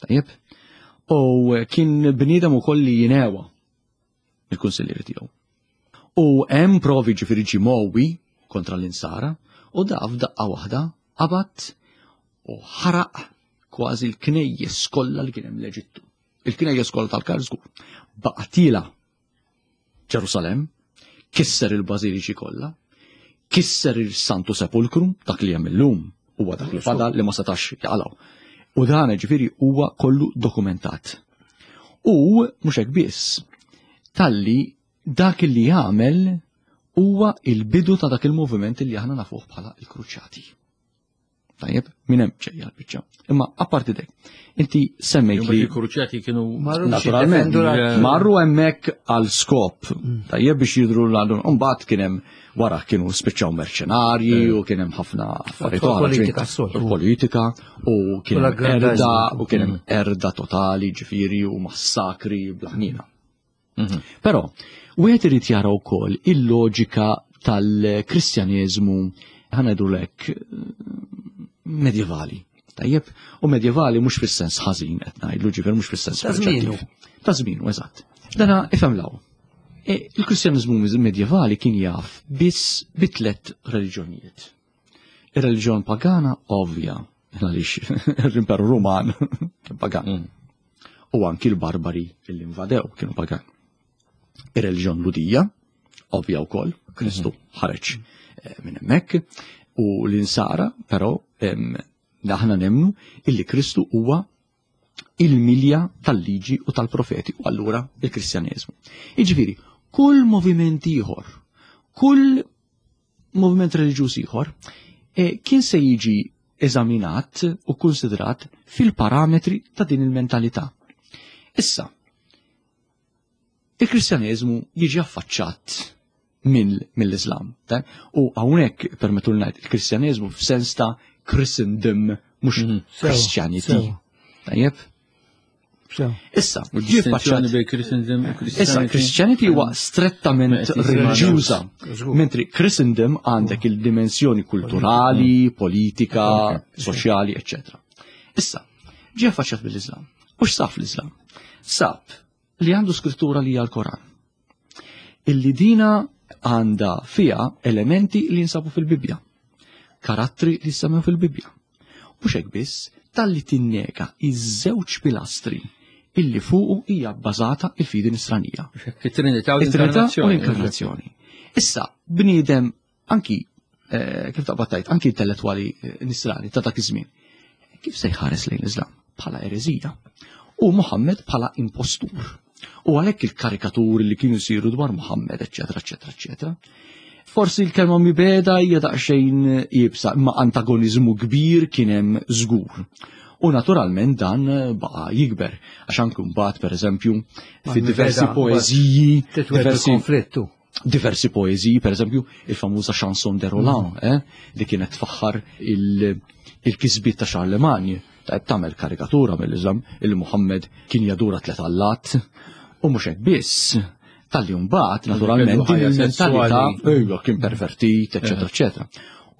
Tajjeb? U kien bniedem ukoll li jinewa il-kunsillieri tiegħu. U hemm provi ġifieri ġimowi kontra l-insara u da f'daqqa waħda qabad u ħaraq kważi l-knejjes kollha li kien hemm l-Eġittu. Il-knejjes kollha tal-Kar żgur. Baqatila Ġerusalemm, kisser il-bażiliċi kollha, kisser il-Santu Sepulkru, dak li hemm illum huwa dak li fadal li ma setax jaqalgħu. U dan ġifieri huwa kollu dokumentat. U mhux hekk biss, talli dak li jagħmel huwa il-bidu ta' dak il-moviment li aħna nafuh bħala il-kruċjati. Tajjeb, minn hemm ġejja l-biċċa. Imma apparti dek, inti semmejt li. Il-kruċjati kienu naturalment marru hemmhekk għal skop. Mm. Tajjeb biex jidru l-għadu. Mbagħad kien hemm wara kienu spiċċaw merċenarji eh. u kien hemm ħafna affarijiet oħra. Politika Politika u kien hemm erda u kien hemm mm. erda totali ġifieri u massakri blaħnina. Mhm. Però, wieħed irid jara wkoll il-loġika tal-Kristjaneżmu ħanajdu lek medjevali. Tajjeb, u medjevali mhux fis-sens ħażin qed ngħidlu ġifier mhux fis-sens Ta' żmienu. Ta' żmienu, eżatt. Dana ifhem law. E, il-Kristjaneżmu medjevali kien jaf biss bi tliet reliġjonijiet. Ir-reliġjon pagana ovvja, għaliex l-Imperu Ruman kien pagan. Mm. U anki l-barbari li invadew kienu pagan. Ir-reliġjon Ludija, ovvja wkoll, Kristu mhm. ħareġ eh, minn hemmhekk, u l-insara, però aħna nemnu illi Kristu huwa il-milja tal-liġi u tal-profeti, u allura il-Kristjaneżmu. Jiġifieri, kull moviment ieħor, kull moviment reliġjuż ieħor eh, kien se jiġi eżaminat u konsidrat fil-parametri ta' din il-mentalità. Issa, il-Kristjaneżmu jiġi affaċċat mill-Islam. U hawnhekk permettu ngħid il-Kristjaneżmu f'sens ta' Christendom mhux mhm. Christianity. Tajjeb? Issa, ġie faċċat bejn Christendom u Christianity. Issa, Christianity huwa strettament reliġjuża, mentri Christendom għandek il-dimensjoni kulturali, politika, soċjali, eccetera. Issa, ġie affaċċat bil-Islam. U x'sab l-Islam? Sab li għandu skrittura li hija l-Koran. Illi dina għandha fiha elementi li jinsabu fil-Bibbja, karattri li jissemmew fil-Bibbja. Mhux hekk biss, talli tinnega iż-żewġ pilastri illi fuqu hija bbażata il-fidi nisranija. It-Trinità u l-Inkarnazzjoni. Issa, bniedem anki eh, kif taqbad tajt, anki intellettwali eh, nisrani ta' dak iż-żmien, kif se jħares lejn l-Islam bħala ereżija u Muhammad bħala impostur. U għalhekk il-karikaturi li kienu jsiru dwar Muhammad, eċetera, eċetera, eċetera. Forsi l-kelma mibeda hija daqsxejn iebsa, imma antagonizmu kbir kien hemm żgur. U naturalment dan baqa' jikber, għax anke mbagħad pereżempju fi diversi poeżiji, diversi konflittu diversi poeżiji, per eżempju, il-famuża Chanson de Roland, mm. eh, li kienet tfaħħar il-kisbiet ta' Charlemagne, ta' tagħmel karikatura mill-Islam il Muhammad kien jadura tlet allat, u mhux hekk biss, tal-li mbagħad naturalment din il-mentalità ejja kien pervertit, eċetera, eh. eċetera.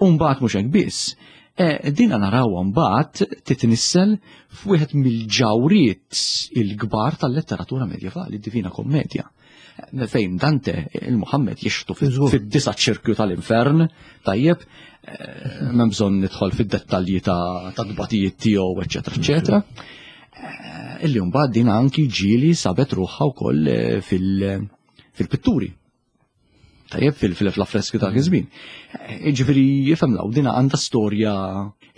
U mbagħad mhux hekk biss, eh, dina narawha mbagħad titnissel f'wieħed mill-ġawriet il-kbar tal-letteratura medjevali, Divina Kommedja fejn Dante il-Muhammed jixtu fid-disa ċirkju tal-infern, tajjeb, eh, m'hemm bżonn nidħol fid-dettalji ta' tbatijiet tiegħu, eċetera, eċetera. Eh, illi mbagħad din anki ġieli sabet ruħha wkoll eh, fil-pitturi. Tajjeb fil-affreski ta' iż-żmien. Eh, ġifieri jifhem law dina għandha storja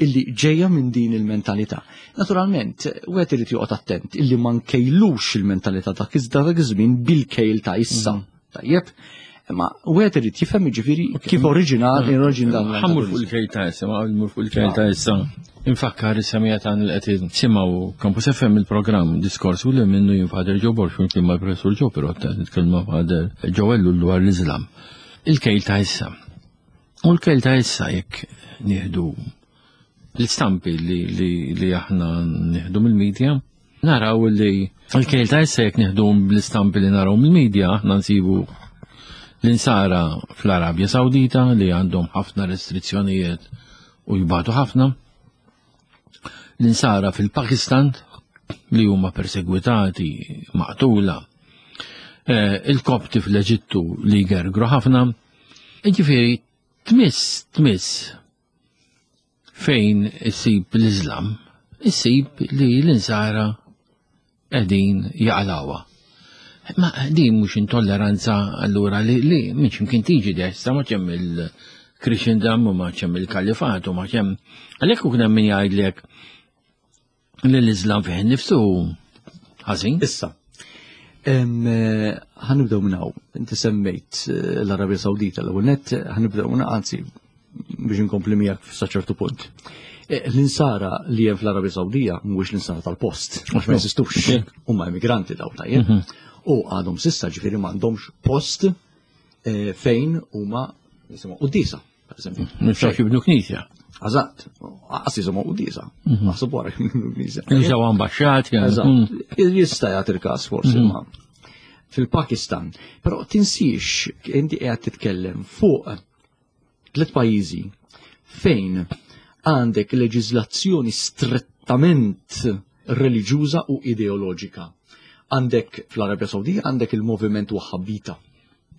illi ġejja minn din il-mentalità. Naturalment, wieħed irid joqgħod attent illi ma nkejlux il-mentalità ta' dak iż-żmien bil-kejl ta' issa. Mhm. Tajjeb, imma wieħed irid jifhem jiġifieri kif oriġinal mm. oriġin dan. Ħammur fuq il-kejl ta' issa, ma ħammur fuq il-kejl ta' issa. Infakkar is-semija ta' li qed simgħu Campus FM il-programm diskors u li minnu jien Father Joe Borg flimkien mal-Professur Joe Pirotta nitkellmu Father Joe Ellul dwar l-Iżlam. Il-kejl ta' issa. U l-kejl ta' issa jekk nieħdu l-istampi li, li, li aħna nieħdu mill-medja, naraw li l-kejl ta' issa jekk nieħdu l-istampi li naraw mill-medja, aħna nsibu l-insara fl-Arabja Sawdita li għandhom ħafna restrizzjonijiet u jbatu ħafna. L-insara fil-Pakistan li huma persegwitati, maqtula. Eh, il-Kopti fl-Eġittu li jgergru ħafna. Ġifieri tmiss tmiss fejn issib l-Iżlam, issib li l-insara qegħdin jaqalawha. Ma din mhux intolleranza allura li li minn x'imkien tiġi dessa ma ċemm il-Christendom u ma ċemm il-Kalifat u ma ċemm għalhekk u hemm min jgħidlek li l-Iżlam fih innifsu ħażin. Issa, eh, ħanibdew minn hawn. Inti semmejt eh, l-Arabja Sawdita l-ewwel nett ħanibdew minn anzi biex inkompli miegħek sa ċertu punt. Eh, l-insara li hemm fl-Arabja Sawdija mhuwiex l-insara tal-post, għax ma jeżistux, huma immigranti daw tajjeb. Mhm. U għadhom sissa ġifieri m'għandhomx post eh, fejn huma jisimgħu qudiesa, per eżempju. Nistgħu jibnu knisja. Eżatt, għas jisimgħu qudiesa, mhm. naħseb wara jibnu knisja. Jużaw ambaxxat, Eżatt. Mm. Jista' jagħti il-każ forsi mhm. ma fil-Pakistan. Però tinsiex inti qiegħed titkellem fuq Tlet pajjiżi fejn għandek leġiżlazzjoni strettament reliġjuża u ideoloġika. Għandek fl-Arabja Sawdija għandek il-moviment Wahhabita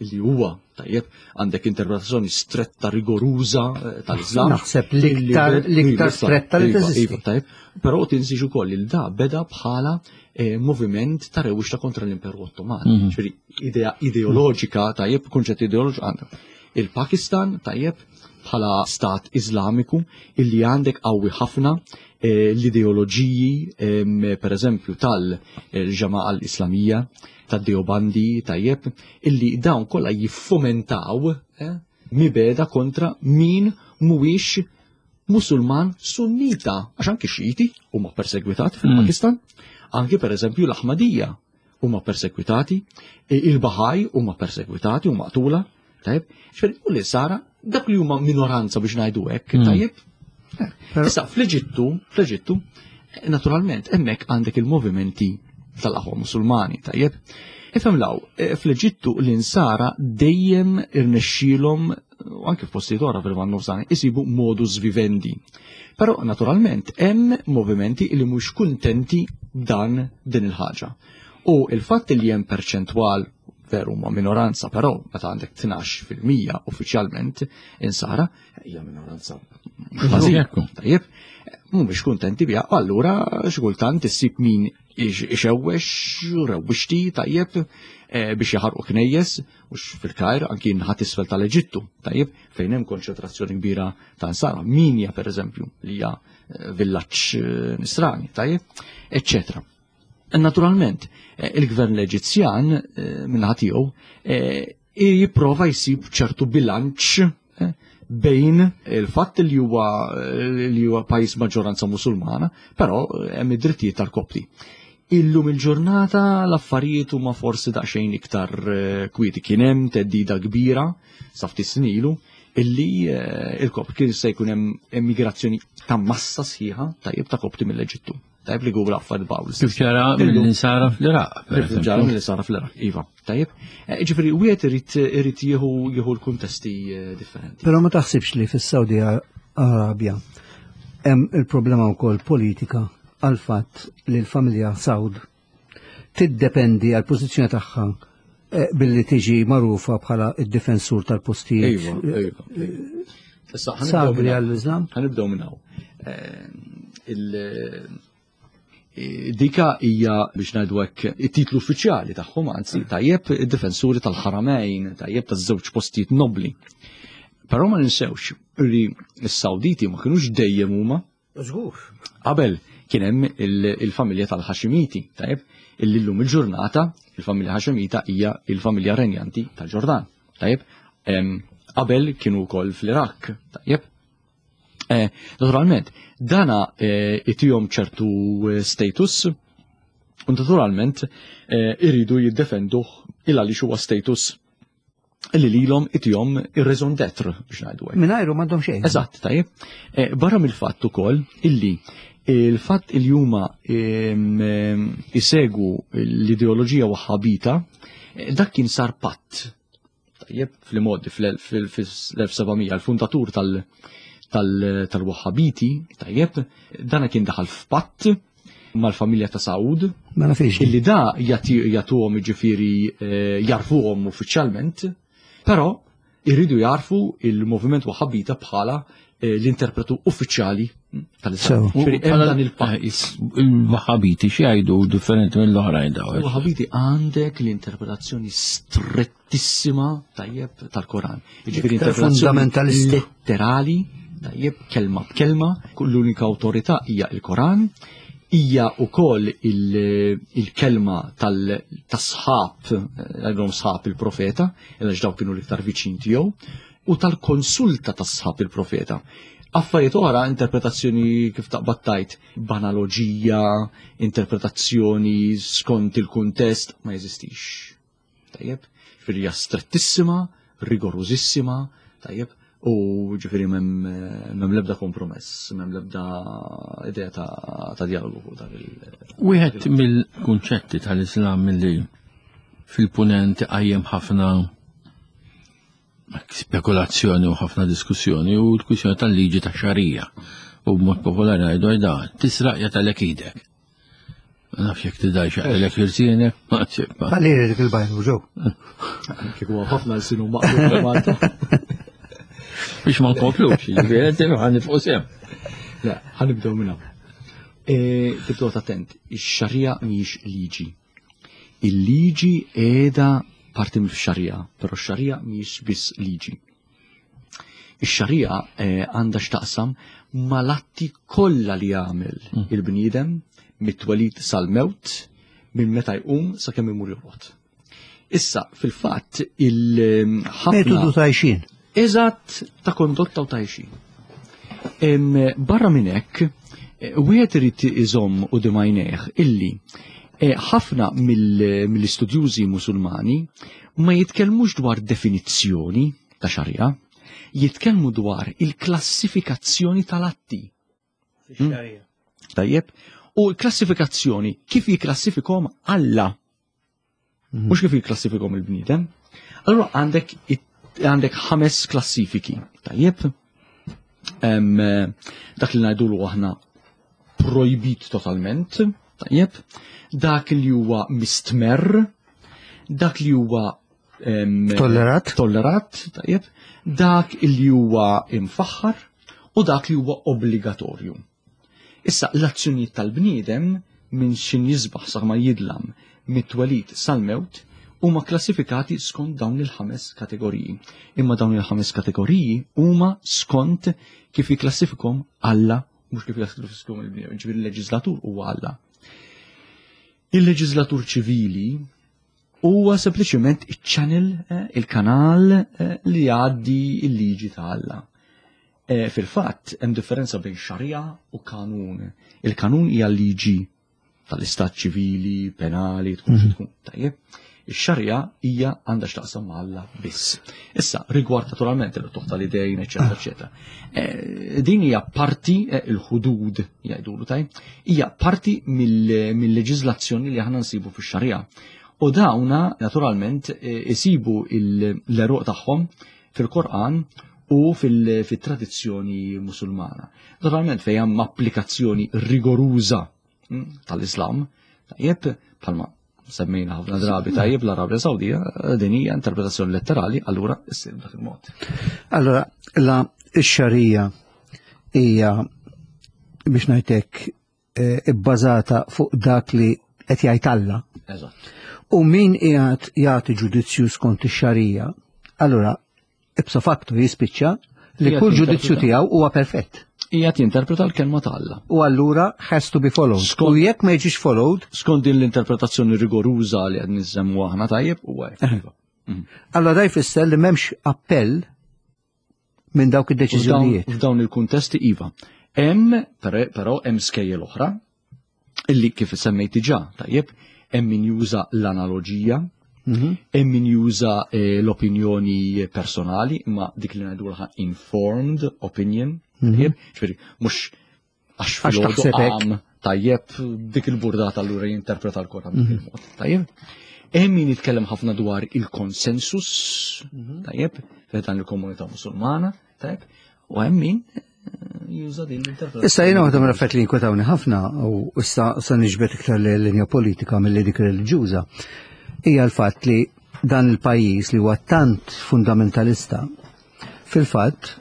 li huwa tajjeb għandek interpretazzjoni stretta rigoruża eh, tal-Islam. Naħseb l-iktar l-iktar stretta li iva, teżisti. Iva, tajjeb, però tinsiex ukoll il da beda bħala eh, moviment ta' rewwixta kontra l-Imperu Ottoman. Mhm. Ġifieri idea ideoloġika tajjeb, kunċett ideoloġiku għandek. Il-Pakistan, tajjeb, bħala stat Iżlamiku illi għandek qawwi ħafna eh, l-ideoloġiji per eżempju tal-ġama'a l-Islamija, tad-Deobandi, tajjeb, illi dawn kollha jiffomentaw eh, mibeda kontra min mhuwiex Musulman Sunnita, għax anki Xiti huma persegwitati fil-Pakistan, anki per eżempju l-Aħmadija huma persegwitati, il-Bahaj huma persegwitati u maqtula. Tajjeb, ġifieri u l-insara dak li huma minoranza biex ngħidu hekk, tajjeb. Issa fl-Eġittu, fl-Eġittu, naturalment hemmhekk għandek il-movimenti tal-aħwa Musulmani, tajjeb. Ifhem law, fl-Eġittu l-insara dejjem irnexxielhom u anke f'postijiet oħra fil-Lvant Nofsani isibu modus vivendi. Però naturalment hemm movimenti li mhux kuntenti dan din il-ħaġa. U il-fatt li hemm perċentwal veru ma minoranza, però meta għandek 12% uffiċjalment insara, hija minoranza ħażin. Tajjeb, mhumiex kuntenti biha, allura xi kultant issib min ixewwex, rewwixti, tajjeb, eh, biex jaħarqu knejjes, mhux fil-Kajr, anki nħat isfel tal-Eġittu, tajjeb, fejn hemm konċentrazzjoni kbira ta' nsara, Minja pereżempju, li hija eh, villaġġ eh, nisrani, tajjeb, eċċetera. Naturalment, il-gvern l-Eġizzjan minnaħa tiegħu jipprova jsib ċertu bilanċ bejn il-fatt li huwa li huwa pajjiż maġġoranza Musulmana, però hemm id-drittijiet tal-Kopti. Illum il-ġurnata l-affarijiet huma forsi daqsxejn iktar kwieti. Kien hemm theddida kbira sa ftit snin ilu illi il-Kopt kien se jkun hemm emigrazzjoni ta' massa sħiħa tajjeb ta' Kopti mill-Eġittu. Tajjeb li Google affarijiet bawl. Kif ġara mill-insara fl-Iraq. Kif ġara mill-insara fl-Iraq, iva. Tajjeb. Eh, ġifieri wieħed irid irid jieħu jieħu l-kuntesti eh, differenti. Però ma taħsibx li fis-Saudi Arabja hemm il-problema wkoll politika għal fatt li l-familja Saud tiddependi għal pożizzjoni tagħha eh, billi tiġi magħrufa bħala id-difensur tal-postijiet. Iva, iva. Issa Sagri għall-Islam? Ħanibdew minn hawn. Dika hija biex ngħidu hekk it-titlu uffiċjali tagħhom anzi tajjeb id-difensuri tal-ħaramejn, tajjeb taż-żewġ postijiet nobli. Però ma ninsewx li s-Sawditi ma kinux dejjem huma Żgur. Qabel kien hemm il-familja tal-Ħaximiti, tajjeb, illi llum il-ġurnata il-familja Ħaximita hija il-familja renjanti tal-Ġordan, tajjeb. Qabel kienu wkoll fl-Iraq, tajjeb. Eh, naturalment, dana eh, itihom ċertu eh, status u naturalment iridu jiddefenduh il għaliex huwa status li lilhom itihom ir-raison d'être biex ngħidu hekk. Mingħajru m'għandhom xejn. Eżatt, tajjeb. Eh, barra mill-fatt ukoll illi il-fatt il huma isegwu l-ideoloġija waħħabita, eh, dak kien sar patt. Tajjeb, fl-modi fl-1700 il-fundatur tal-Wahhabiti, tajjeb, dana kien daħal f'patt mal-familja ta' Saud. Ma nafix. Illi da jagħtuhom jiġifieri eh, jarfuhom uffiċjalment, però irridu jarfu il-moviment Wahhabita bħala eh, l-interpretu uffiċjali tal-Islam. Ġifieri hemm dan il-pajjiż. Il-Wahhabiti xi jgħidu differenti mill-oħrajn daw. Il-Wahhabiti għandek l-interpretazzjoni strettissima tajjeb tal-Koran. Jiġifieri interpretazzjoni letterali tajjeb kelma b'kelma, l-unika awtorità hija il-Koran, hija wkoll il-kelma tas-sħab, għandhom sħab il-profeta, għax dawk kienu l-iktar viċin tiegħu, u tal-konsulta tas-sħab il-profeta. Affarijiet oħra, interpretazzjoni kif taqbad tajt, b'analoġija, interpretazzjoni skont il-kuntest, ma jeżistix. Tajjeb, ġifieri hija strettissima, rigorużissima, tajjeb, u ġifieri m'hemm l-ebda kompromess, m'hemm l-ebda idea ta' dialogu fuq dan il- Wieħed mill-kunċetti tal-Islam milli fil-punent qajjem ħafna spekulazzjoni u ħafna diskussjoni u l-kwistjoni tal-liġi ta' xarija u b'mod popolari ngħidu għajda tisraq jatalek idek. Ma nafx jekk tidaj xaqlek irsienek, ma ċibba. Għalli dik il-bajn u ġew. Kieku ħafna l-sinu maqlub Malta. Biex ma nkomplux, ġifieri ħan nifqu sem. Le, ħanibdew minn hawn. E, tibdew attent, ix-xarija mhijiex liġi. Il-liġi qiegħda parti mill-xarija, però x-xarija mhijiex biss liġi. Ix-xarija eh, għandha x'taqsam mal-atti kollha li jagħmel mm. il-bniedem mit-twelid sal-mewt minn meta jqum sakemm imur jorqod. Issa, fil-fatt, il-ħafna. Metodu tajxin. Eżatt ta' kondotta u tajxin. Barra minn hekk, eh, wieħed irid iżomm u dimajnejh illi eh, ħafna mill-istudjużi musulmani. Ma jitkellmux dwar definizzjoni ta' xarija, jitkellmu dwar il-klassifikazzjoni tal-atti. Fix-xarija. Tajjeb, u l-klassifikazzjoni kif jikklassifikhom Alla. Mhux kif jikklassifikhom il-bniedem. Allura għandek għandek ħames klassifiki. Tajjeb, eh, dak li ngħidulu aħna projbit totalment, tajjeb, dak li huwa mistmerr, dak li huwa Tollerat. Tollerat, tajjeb, dak li huwa imfaħħar u dak li huwa obbligatorju. Issa l-azzjonijiet tal-bniedem minn xin jisbaħ sa ma jidlam mit-twelid sal-mewt huma klassifikati skont dawn il-ħames kategoriji. Imma dawn il-ħames kategoriji huma skont kif jikklassifikhom Alla mhux kif jikklassifikhom il-bniedem, ġifieri il-leġislatur huwa Alla. Il-leġislatur ċivili huwa sempliċement iċ-channel, eh, il-kanal eh, li jgħaddi il-liġi ta' Alla. Eh, fil-fatt, hemm differenza bejn xarija u kanun. Il-kanun hija liġi tal-istat ċivili, penali, tkun xi mhm. tkun. Tajjeb. Ix-xarija hija għandha x'taqsam ma' Alla biss. Issa, rigward naturalment il-tuħ tal-idejn, eċetera, eċetera. Eh, din hija parti eh, il-ħudud jgħidulu taj, hija parti mill-leġiżlazzjoni li aħna nsibu fix-xarija. U dawna naturalment eh, isibu l-eruq tagħhom fil-Korqan u fil-tradizzjoni musulmana. Naturalment fejn hemm applikazzjoni rigoruża mm, tal-Islam, tajjeb bħalma semmejna ħafna drabi tajjeb l-Arabja Sawdija din hija interpretazzjoni letterali, allura issir dak il-mod. Allora, la x-xarija hija biex ngħidlek eh, ibbażata fuq dak li qed jgħid Alla. Eżatt. U min qiegħed jagħti ġudizzju skont ix-xarija, allura ipso facto jispiċċa li kull ġudizzju tiegħu huwa perfett. Qiegħed jinterpreta l-kelma ta' Alla. U allura has to be followed. U jekk ma jiġix followed. Skont din l-interpretazzjoni rigoruża li qed niżemmu aħna tajjeb huwa hekk. Eh. Allora da jfisser li m'hemmx appell minn dawk id-deċiżjonijiet. F'dawn il-kuntesti iva. Hemm però hemm skejjel oħra illi kif semmejt diġà, tajjeb, hemm min juża l-analoġija, mhm. hemm min juża eh, l-opinjoni personali, imma dik li ngħidulha informed opinion, mhm. tajjeb, ġifieri mhux għax filgħodu qam tajjeb dik il-burdata allura jinterpreta l-Koran mhm. mod, tajjeb. Hemm min jitkellem ħafna dwar il-konsensus, tajjeb, dan il-komunità musulmana, tajjeb, u hemm min juża din l-interpretazzjoni. Issa jiena waħda mill-affarijiet li jinkwetawni ħafna u issa se niġbed iktar linja politika milli dik reliġjuża hija l-fatt li dan il-pajjiż li huwa tant fundamentalista fil-fatt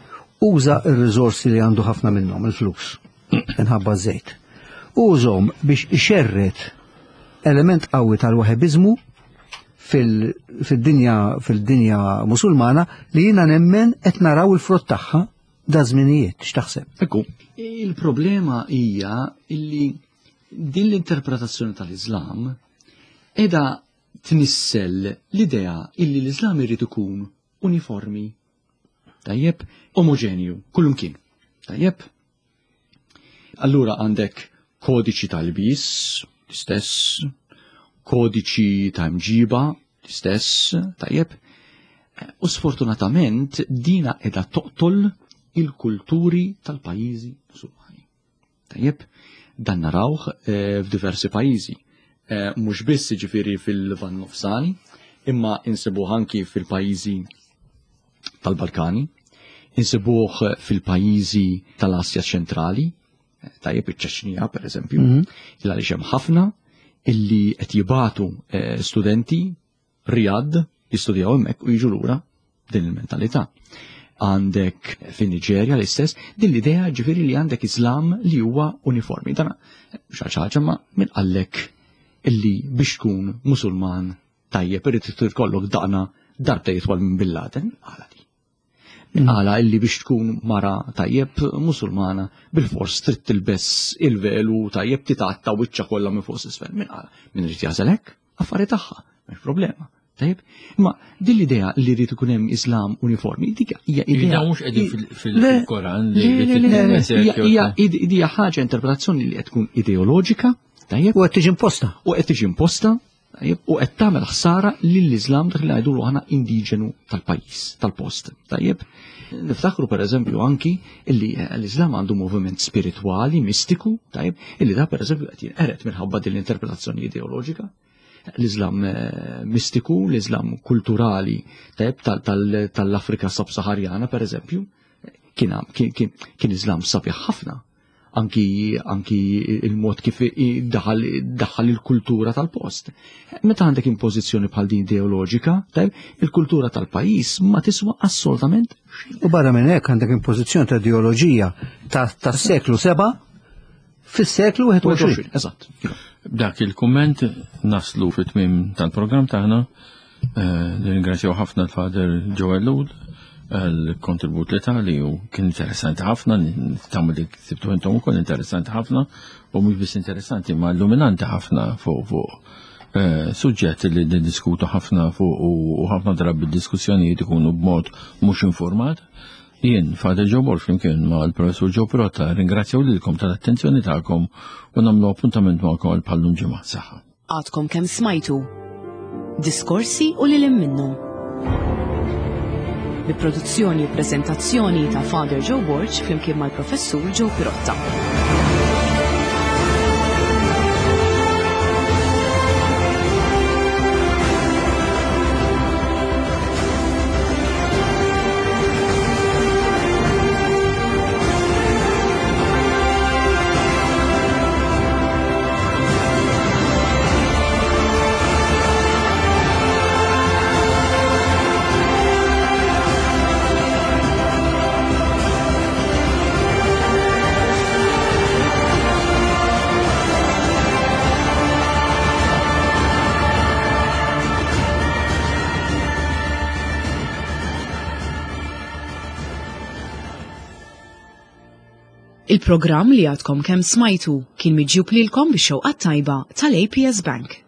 uża r-riżorsi li għandu ħafna minnhom il-flus minħabba żejt. Użhom biex ixerred element qawwi tal-waħebiżmu fil-dinja fil-dinja musulmana li jiena nemmen qed naraw il-frott tagħha da żminijiet, x'taħseb? Ekku, il-problema hija illi din l-interpretazzjoni tal-Islam edha tnissel l-idea illi l-Islam irid ikun uniformi. Tajjeb, omogenju, kullumkien. Tajjeb, Allura għandek kodiċi tal-bis, l-istess, kodiċi ta' mġiba, l-istess, tajjeb. U sfortunatament dina edha toqtol il-kulturi tal-pajjiżi musulmani. Tajjeb, dan narawh eh, f'diversi pajjiżi. Eh, mhux biss jiġifieri fil-Lvant Nofsani, imma insibuh anki fil-pajjiżi tal-Balkani, insibuh fil-pajjiżi tal-Asja ċentrali, eh, tajjeb iċ-Ċeċnija per eżempju, mm -hmm. il għaliex hemm ħafna illi qed jibatu eh, studenti Riyadh jistudjaw hemmhekk u jiġu lura din il-mentalità. Għandek fin Niġerja l-istess, din l-idea ġifieri li għandek Islam li huwa uniformi. Dan xi ħaġa ma min qallek illi biex tkun Musulman tajjeb irid ikollok daqna darbta jitwal minn Bin Laden, għala di. Min qala illi biex tkun mara tajjeb musulmana bil-fors trid tilbes il-velu tajjeb titatta wiċċa kollha minn fuq s'isfel. Min qala? Min irid jażel hekk? Affari tagħha, m'hemmx problema. Tajjeb? Imma din l-idea li jrid ikun hemm Islam uniformi, dik hija idea. Mhux qegħdin fil-Koran li hija idea ħaġa interpretazzjoni li qed tkun ideoloġika, tajjeb? U qed tiġi imposta. U qed tiġi imposta. Tajjeb, u qed tagħmel ħsara lill-Iżlam dak li ngħidulu aħna indiġenu tal-pajjiż, tal-post. Tajjeb, niftakru pereżempju anki illi eh, l-Iżlam għandu moviment spiritwali, mistiku, tajjeb, illi da pereżempju qed jinqered minħabba din l-interpretazzjoni ideoloġika. L-Iżlam eh, mistiku, l-Iżlam kulturali, tajjeb, tal-Afrika Sub-Saharjana pereżempju, kien kien Iżlam sabiħ ħafna anki, anki il-mod kif daħal, daħal il-kultura tal-post. Meta għandek impożizzjoni bħal din ideoloġika, il-kultura tal-pajjiż ma tiswa assolutament U barra minn hekk għandek impożizzjoni ta' ideoloġija tas-seklu 7 fis-seklu 21. Eżatt. Dak il-kumment naslu fit-tmiem tal-programm tagħna. Eh, nirringrazzjaw ħafna l-Father Joel Lul għal-kontribut li tali u kien interessanti ħafna, nittamu li ksibtu intom ukoll interessanti ħafna u mhux biss interessanti ma illuminanti ħafna fuq fuq eh, suġġett li niddiskutu ħafna fuq u ħafna drabi diskussjonijiet ikunu b'mod mhux informat. Jien, Father Joe Borg, flimkien ma' l-Professur Joe Pirotta, ringrazzjaw lilkom tal-attenzjoni tagħkom u nagħmlu appuntament magħkom għal bħallum ġimgħa. Saħħa. Għadkom kemm smajtu diskorsi u lil minnhom. Bi produzzjoni u preżentazzjoni ta' Father Joe Borg flimkien mal-Professur Joe Pirotta. Il-programm li għadkom kemm smajtu kien miġjub lilkom bix-xewqa tajba tal-APS Bank.